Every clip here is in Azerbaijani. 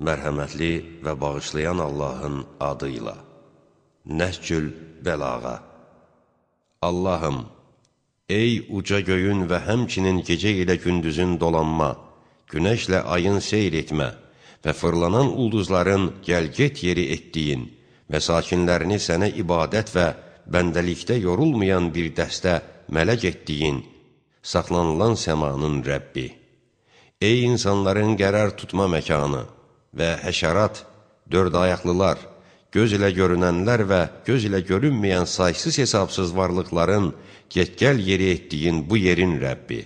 Mərhəmətli və bağışlayan Allahın adıyla. Nəhcül Bəlağa. Allahım, ey uca göyün və həmçinin gecə ilə gündüzün dolanma, günəşlə ayın seyr etmə və fırlanan ulduzların gəlget yeri etdiyin və sakinlərini sənə ibadət və bəndəlikdə yorulmayan bir dəstə mələk etdiyin, saxlanılan səmanın Rəbbi. Ey insanların qərar tutma məkanı və həşərat, dörd ayaqlılar, göz ilə görünənlər və göz ilə görünməyən saysız hesabsız varlıqların get-gəl yeri etdiyin bu yerin Rəbbi.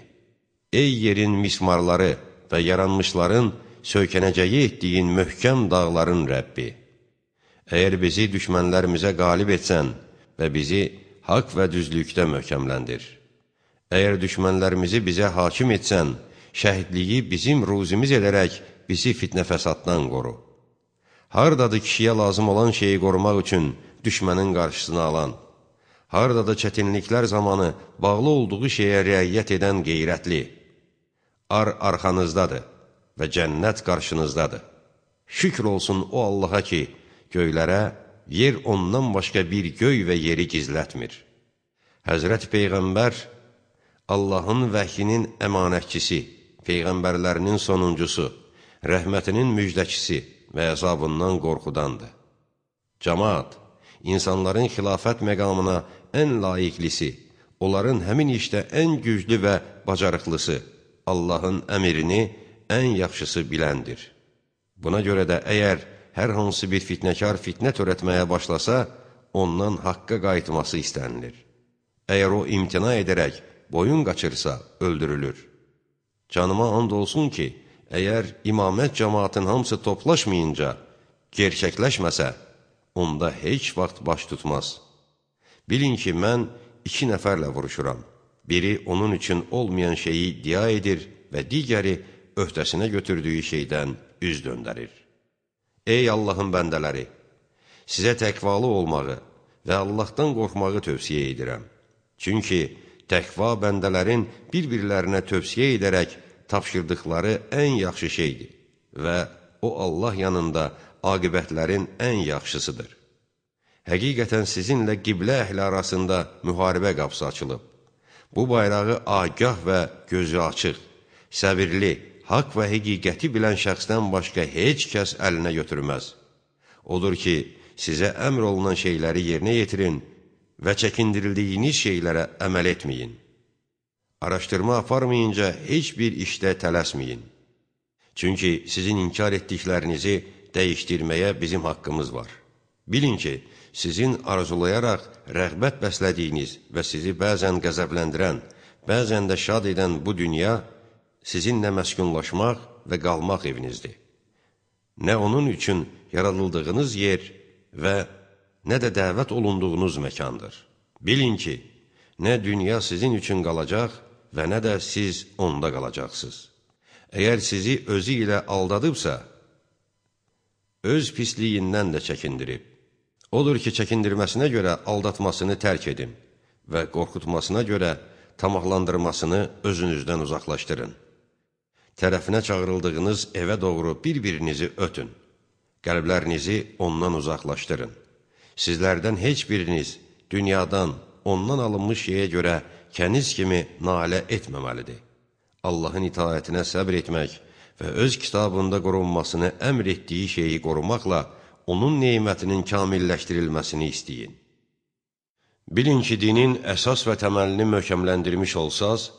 Ey yerin mismarları və yaranmışların söykənəcəyi etdiyin möhkəm dağların Rəbbi. Əgər bizi düşmənlərimizə qalib etsən və bizi haqq və düzlükdə möhkəmləndir. Əgər düşmənlərimizi bizə hakim etsən, şəhidliyi bizim ruzimiz edərək bizi fitnə fəsaddan qoru. Hardadır kişiyə lazım olan şeyi qorumaq üçün düşmənin qarşısını alan, hardadır çətinliklər zamanı bağlı olduğu şeyə riayət edən qeyrətli, arxanızdadır və cənnət qarşınızdadır. Şükr olsun o Allaha ki, göylərə, yer ondan başqa bir göy və yeri gizlətmir. Həzrət Peyğəmbər, Allahın vəhyinin əmanətçisi, Peyğəmbərlərinin sonuncusu, rəhmətinin müjdəçisi və əzabından qorxudandır. Cəmaat, insanların xilafət məqamına ən layiqlisi, onların həmin işdə ən güclü və bacarıqlısı, Allahın əmrini ən yaxşısı biləndir. Buna görə də əgər hər hansı bir fitnəkar fitnə törətməyə başlasa, ondan haqqa qayıtması istənilir. Əgər o imtina edərək boyun qaçırsa, öldürülür. Canıma and olsun ki, əgər imamət cəmaatın hamısı toplaşmayınca, gerçəkləşməsə, onda heç vaxt baş tutmaz. Bilin ki, mən 2 nəfərlə vuruşuram. Biri onun üçün olmayan şeyi iddia edir və digəri öhdəsinə götürdüyü şeydən üz döndərir. Ey Allahın bəndələri! Sizə təqvalı olmağı və Allahdan qorxmağı tövsiyə edirəm. Çünki təqva bəndələrin bir-birlərinə tövsiyə edərək tapşırdıqları ən yaxşı şeydir və o Allah yanında aqibətlərin ən yaxşısıdır. Həqiqətən sizinlə qiblə əhli arasında müharibə qapısı açılıb. Bu bayrağı agah və gözü açıq, səbirli, haqq və həqiqəti bilən şəxsdən başqa heç kəs əlinə götürməz. Odur ki, sizə əmr olunan şeyləri yerinə yetirin və çəkindirildiyiniz şeylərə əməl etməyin. Araşdırma aparmayınca heç bir işdə tələsməyin. Çünki sizin inkar etdiklərinizi dəyişdirməyə bizim haqqımız var. Bilin ki, sizin arzulayaraq rəğbət bəslədiyiniz və sizi bəzən qəzəbləndirən, bəzən də şad edən bu dünya sizinlə məskunlaşmaq və qalmaq evinizdir. Nə onun üçün yaradıldığınız yer və nə də dəvət olunduğunuz məkandır. Bilin ki, nə dünya sizin üçün qalacaq və nə də siz onda qalacaqsınız. Əgər sizi özü ilə aldadıbsa, öz pisliyindən də çəkindirib. Odur ki, çəkindirməsinə görə aldatmasını tərk edin və qorxutmasına görə tamahlandırmasını özünüzdən uzaqlaşdırın. Tərəfinə çağırıldığınız evə doğru bir-birinizi ötün. Qəlblərinizi ondan uzaqlaşdırın. Sizlərdən heç biriniz dünyadan, ondan alınmış şeyə görə kəniz kimi nalə etməməlidir. Allahın itaətinə səbr etmək və öz kitabında qorunmasını əmr etdiyi şeyi qorumaqla onun neymətinin kamilləşdirilməsini istəyin. Bilin ki, dinin əsas və təməlini möhkəmləndirmiş olsaz,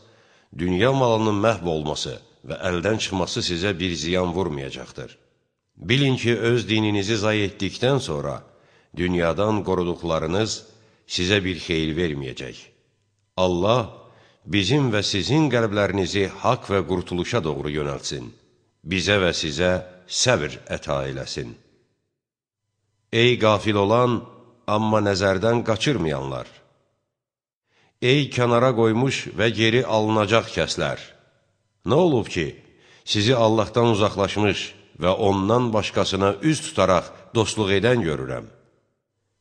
dünya malının məhv olması və əldən çıxması sizə bir ziyan vurmayacaqdır. Bilin ki, öz dininizi zay etdikdən sonra dünyadan qoruduqlarınız sizə bir xeyir verməyəcək. Allah bizim və sizin qəlblərinizi haqq və qurtuluşa doğru yönəltsin. Bizə və sizə səbr əta eləsin. Ey qafil olan, amma nəzərdən qaçırmayanlar! Ey kənara qoymuş və geri alınacaq kəslər! Nə olub ki, sizi Allahdan uzaqlaşmış və ondan başqasına üz tutaraq dostluq edən görürəm.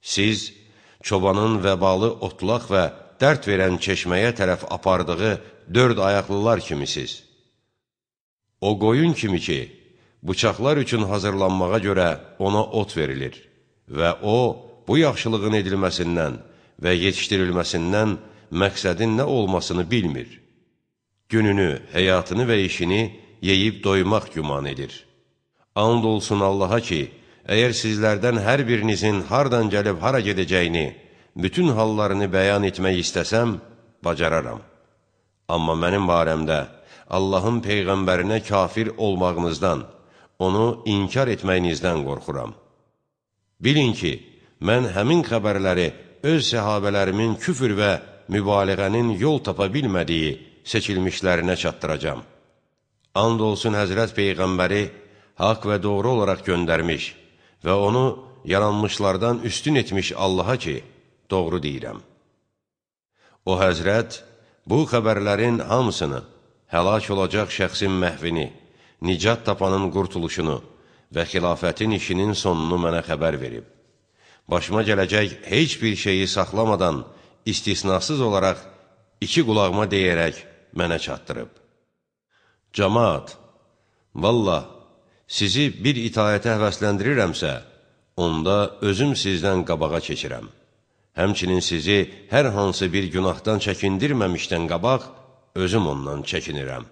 Siz çobanın vəbalı otlaq və dərd verən çeşməyə tərəf apardığı 4 ayaqlılar kimisiz. O qoyun kimi ki, bıçaqlar üçün hazırlanmağa görə ona ot verilir və o, bu yaxşılığın edilməsindən və yetişdirilməsindən məqsədin nə olmasını bilmir. Gününü, həyatını və işini yeyib doymaq güman edir. And olsun Allaha ki, əgər sizlərdən hər birinizin hardan gəlib hara gedəcəyini, bütün hallarını bəyan etmək istəsəm, bacararam. Amma mənim barəmdə Allahın Peyğəmbərinə kafir olmağınızdan, onu inkar etməyinizdən qorxuram. Bilin ki, mən həmin xəbərləri öz səhabələrimin küfür və mübaliğənin yol tapa bilmədiyi seçilmişlərinə çatdıracam. And olsun Həzrət Peyğəmbəri haqq və doğru olaraq göndərmiş və onu yaranmışlardan üstün etmiş Allaha ki, doğru deyirəm. O Həzrət bu xəbərlərin hamısını, həlak olacaq şəxsin məhvini, nicat tapanın qurtuluşunu və xilafətin işinin sonunu mənə xəbər verib. Başıma gələcək heç bir şeyi saxlamadan, istisnasız olaraq iki qulağıma deyərək mənə çatdırıb. Cəmaat, vallah, sizi bir itayətə həvəsləndirirəmsə, onda özüm sizdən qabağa keçirəm. Həmçinin sizi hər hansı bir günahdan çəkindirməmişdən qabaq, özüm ondan çəkinirəm.